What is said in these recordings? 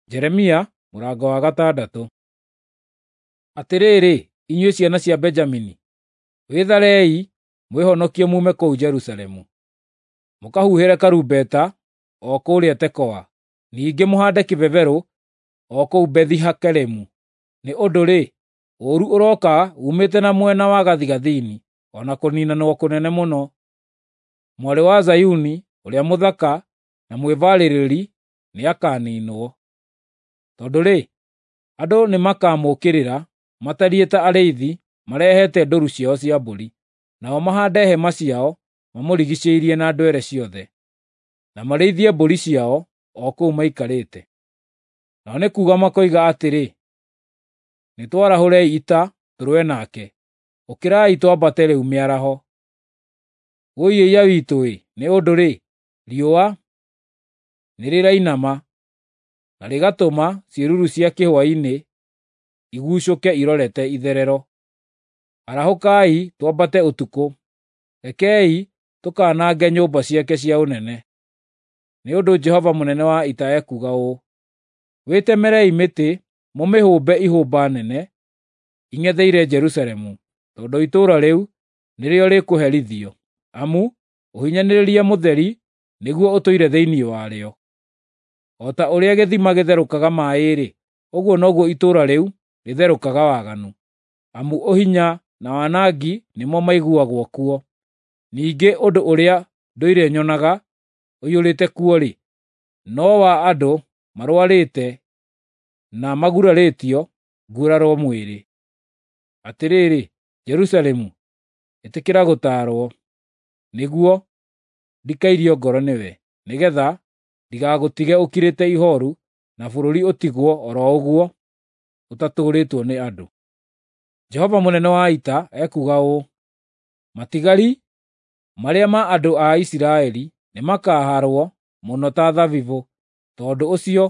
Jeremia mũrango wa gatandatũ. Atĩrĩrĩ, inyuĩ ciana cia Benjamini, wĩtharei mwĩhonokie muume kũu Jerusalemu, mũkahuhĩre karumbeta o kũrĩa Tekoa, ningĩ mũhaande kĩbeberũ o kũu Bethi-Hakeremu. Nĩ ũndũ-rĩ, ũũru ũroka uumĩte na mwena wa gathigathini, o na kũniinanwo kũnene mũno. Mwarĩ wa Zayuni ũrĩa mũthaka na mwĩbaarĩrĩri nĩakaniinwo. Tondũ-rĩ, andũ nĩmakamũũkĩrĩra matariĩ ta arĩithi marehete ndũũru ciao cia mbũri, nao mahaande hema ciao mamũrigiicĩirie na ndwere ciothe, na marĩithie mbũri ciao o kũu maikarĩte. Nao nĩ kuuga makoiga atĩrĩ, “Nĩtwarahũrei ita tũrũe nake! Ũkĩrai twambate rĩu mĩaraho! Wũi-ĩiya witũ-ĩ! Nĩ ũndũ-rĩ, riũa nĩrĩrainama na rĩgatũma ciĩruru cia kĩhwaĩ-inĩ igucũke irorete itherero. Arahũkai twambate ũtukũ! Rekei tũkanange nyũmba ciake cia ũnene.” Nĩ ũndũ Jehova mũnene wa ita ekuuga ũũ: “Wĩtemerei mĩtĩ mũmĩhũmbe ihũmba nene ing'etheire Jerusalemu, tondũ itũũra rĩu nĩrĩo rĩkũherithio, amu ũhinyanĩrĩria mũtheri nĩguo ũtũire thĩinĩ warĩo. O ta ũrĩa gĩthima gĩtherũkaga maaĩ-rĩ, ũguo noguo itũũra rĩu rĩtherũkaga waganu, amu ũhinya na wanangi nĩmo maiguagwo kuo. Ningĩ ũndũ ũrĩa ndũire nyonaga ũiyũrĩte kuo-rĩ, no wa andũ marũarĩte na magurarĩtio nguraro mwĩrĩ. Atĩrĩrĩ, Jerusalemu, ĩtĩkĩra gũtaarwo, nĩguo ndikairio ngoro nĩwe, nĩgeetha ndigagũtige ũkirĩte ihooru na bũrũri ũtigwo o ro ũguo ũtatũũrĩtwo nĩ andũ. Jehova mũnene wa ita ekuuga ũũ: “Matigari marĩa ma andũ a Isiraeli nĩmakahaarwo mũno ta thabibũ. Tondũ ũcio,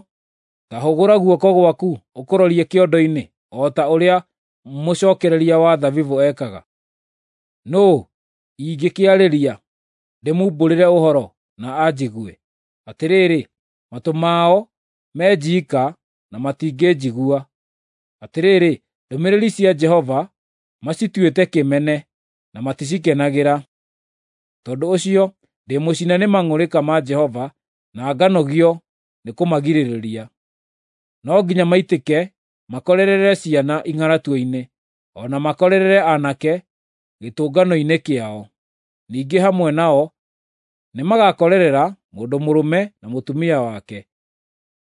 ta hũgũra guoko gwaku ũkũrorie kĩondo-inĩ o ta ũrĩa mũcookereria wa thabibũ ekaga. Nũũ ingĩkĩarĩria ndĩmumbũrĩre ũhoro na anjigue? Atĩrĩrĩ, matũ mao me njiika na matingĩnjigua. Atĩrĩrĩ, ndũmĩrĩri cia Jehova macituĩte kĩmene na maticikenagĩra. Tondũ ũcio ndĩmũcine nĩ mang'ũrĩka ma Jehova na nganogio nĩkũmagirĩrĩria. No nginya maitĩke makorerere ciana ing'aratua-inĩ, o na makorerere aanake gĩtũngano-inĩ kĩao. Ningĩ hamwe nao nĩmagakorerera mũndũ mũrũme na mũtumia wake,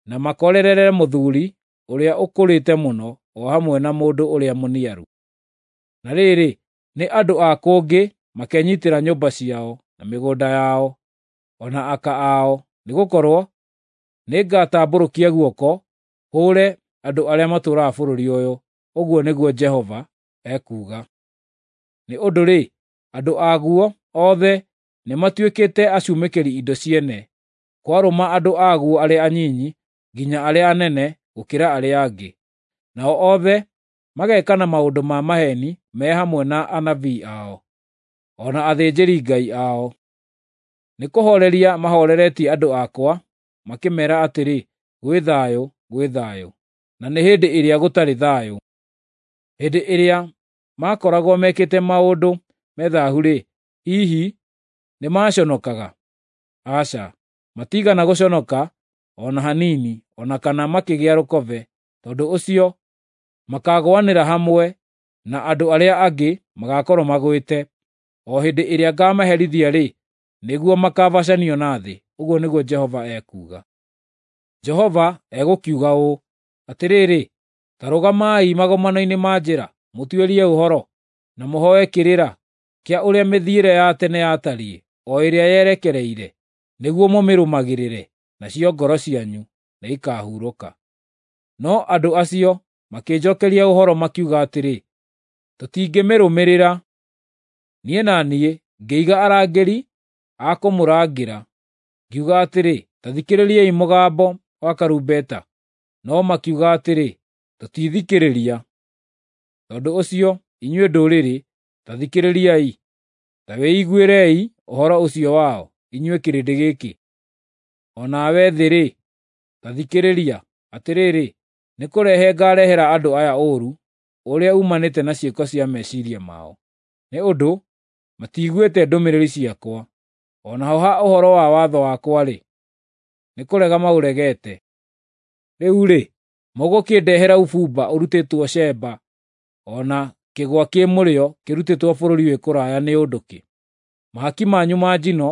na makorerere mũthuuri ũrĩa ũkũrĩte mũno o hamwe na mũndũ ũrĩa mũniaru. Na rĩrĩ, nĩ andũ a kũngĩ makenyiitĩra nyũmba ciao, na mĩgũnda yao, o na aka ao, nĩgũkorwo nĩngatambũrũkia guoko hũũre andũ arĩa matũũraga bũrũri ũyũ, ũguo nĩguo Jehova ekuuga. Nĩ ũndũ-rĩ, andũ aguo othe nĩmatuĩkĩte acumĩkĩri indo ciene, kwarũma andũ aguo arĩa anyinyi nginya arĩa anene gũkĩra arĩa angĩ. Nao othe magekana maũndũ ma maheeni me hamwe na anabii ao, o na athĩnjĩri-Ngai ao. Nĩkũhooreria mahooreretie andũ akwa makĩmeera atĩrĩ, “Gwĩ thayũ, gwĩ thayũ,” na nĩ hĩndĩ ĩrĩa gũtarĩ thayũ. Hĩndĩ ĩrĩa maakoragwo mekĩte maũndũ me thaahu-rĩ, hihi nĩmaconokaga? Aca, matiigana gũconoka o na hanini, o na kana makĩgĩa rũkobe. Tondũ ũcio makaagũanĩra hamwe na andũ arĩa angĩ magaakorwo magwĩte. O hĩndĩ ĩrĩa ngaamaherithia-rĩ, nĩguo makaabacanio na thĩ, ũguo nĩguo Jehova ekuuga. Jehova egũkiuga ũũ: “Atĩrĩrĩ, ta rũgamai magomano-inĩ ma njĩra, mũtuĩrie ũhoro, na mũhooe kĩrĩra kĩa ũrĩa mĩthiĩre ya tene yatariĩ, o ĩrĩa yerekereire, nĩguo mũmĩrũmagĩrĩre, nacio ngoro cianyu nĩikahurũka.” No andũ acio makĩnjookeria ũhoro makiuga atĩrĩ, “Tũtingĩmĩrũmĩrĩra.” Niĩ na niĩ ngĩiga arangĩri a kũmũrangĩra, ngiuga atĩrĩ, “Ta thikĩrĩriai mũgambo wa karumbeta!” No makiuga atĩrĩ, “Tũtithikĩrĩria.” Tondũ ũcio, inyuĩ ndũrĩrĩ, ta thikĩrĩriai, ta wĩiguĩrei ũhoro ũcio wao, inyuĩ kĩrĩndĩ gĩkĩ. O nawe thĩ-rĩ, ta thikĩrĩria. Atĩrĩrĩ, nĩ kũrehe ngaarehera andũ aya ũũru ũrĩa uumanĩte na ciĩko cia meciria mao, nĩ ũndũ matiiguĩte ndũmĩrĩri ciakwa, o naho ha ũhoro wa watho wakwa-rĩ, nĩ kũrega maũregete. Rĩu-rĩ, mũgũkĩndehera ũbumba ũrutĩtwo Sheba, o na kĩgwa kĩ mũrĩo kĩrutĩtwo bũrũri wĩ kũraya nĩ ũndũ kĩ? Mahaki manyu ma njino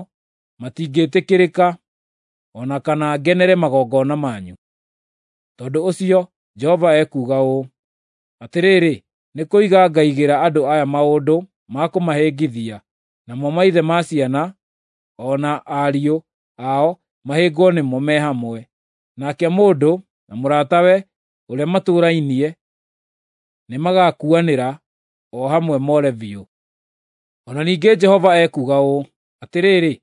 matingĩĩtĩkĩrĩka, o na kana ngenere magongona manyu. Tondũ ũcio Jehova ekuuga ũũ: Atĩrĩrĩ, nĩ kũiga ngaigĩra andũ aya maũndũ ma kũmahĩngithia, namo maithe ma ciana o na ariũ ao mahĩngwo nĩmo me hamwe, nake mũndũ na mũratawe ũrĩa matũũrainie nĩmagakuanĩra o hamwe more biũ. O na ningĩ Jehova ekuuga ũũ: Atĩrĩrĩ,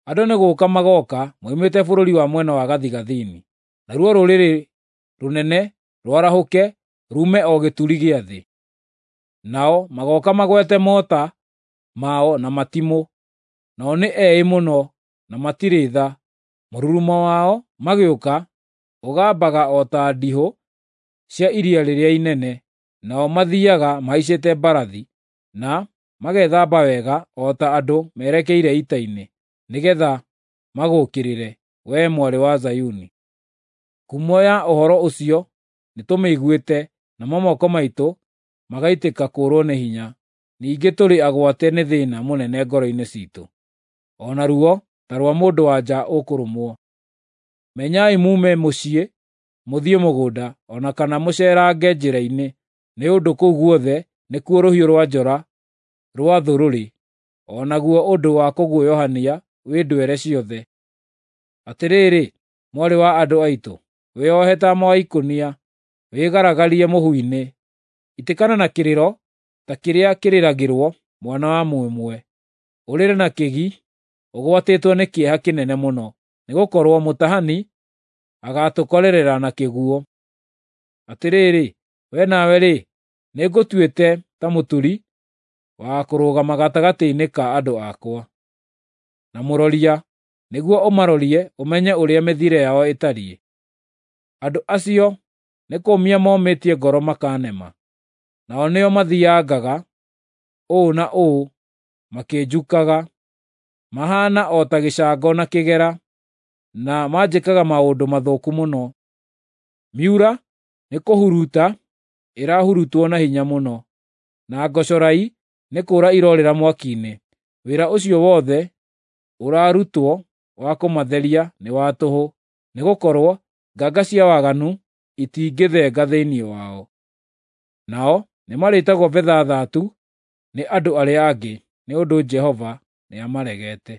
andũ nĩ gũũka magooka moimĩte bũrũri wa mwena wa gathigathini, naruo rũrĩrĩ rũnene rwarahũke ruume o gĩturi gĩa thĩ. Nao magooka magwete mota mao na matimũ, nao nĩ eĩ mũno na matirĩ tha. Mũrurumo wao magĩũka ũgambaga o ta ndihũ cia iria rĩrĩa inene, nao mathiiaga mahaicĩte mbarathi na magethamba wega o ta andũ merekeire ita-inĩ, nĩgeetha magũũkĩrĩre, wee Mwarĩ wa Zayuni. Ngumo ya ũhoro ũcio nĩtũmĩiguĩte, namo moko maitũ magaitĩka kũũrwo nĩ hinya. Ningĩ tũrĩ agwate nĩ thĩĩna mũnene ngoro-inĩ ciitũ, o na ruo ta rwa mũndũ-wa-nja ũkũrũmwo. Menyai muume mũciĩ mũthiĩ mũgũnda, o na kana mũceerange njĩra-inĩ, nĩ ũndũ kũu guothe nĩkuo rũhiũ rwa njora rwa thũ rũrĩ, o naguo ũndũ wa kũguoyohania wĩ ndwere ciothe. Atĩrĩrĩ, mwarĩ wa andũ aitũ, wĩohe taama wa ikũnia, wĩgaragarie mũhu-inĩ. Itĩkana na kĩrĩro ta kĩrĩa kĩrĩragĩrwo mwana wa mũmwe, ũrĩre na kĩgi ũgwatĩtwo nĩ kĩeha kĩnene mũno, nĩgũkorwo mũtahani agaatũkorerera na kĩguũ. Atĩrĩrĩ, wee nawe-rĩ, nĩngũtuĩte ta mũturi wa kũrũgama gatagatĩ-inĩ ka andũ akwa, na mũroria, nĩguo ũmarorie ũmenye ũrĩa mĩthiĩre yao ĩtariĩ. Andũ acio nĩ kũũmia momĩtie ngoro makaanema, nao nĩo mathiiangaga ũũ na ũũ makĩnjukaga. Mahaana o ta gĩcango na kĩgera, na manjĩkaga maũndũ mathũku mũno. Miura nĩkũhuruta ĩrahurutwo na hinya mũno, na ngocorai nĩ kũũra iroorĩra mwaki-inĩ. Wĩra ũcio wothe ũrarutwo wa kũmatheria nĩ wa tũhũ, nĩgũkorwo nganga cia waganu itingĩthenga thĩinĩ wao. Nao nĩmarĩĩtagwo betha thatu nĩ andũ arĩa angĩ, nĩ ũndũ Jehova nĩamaregete.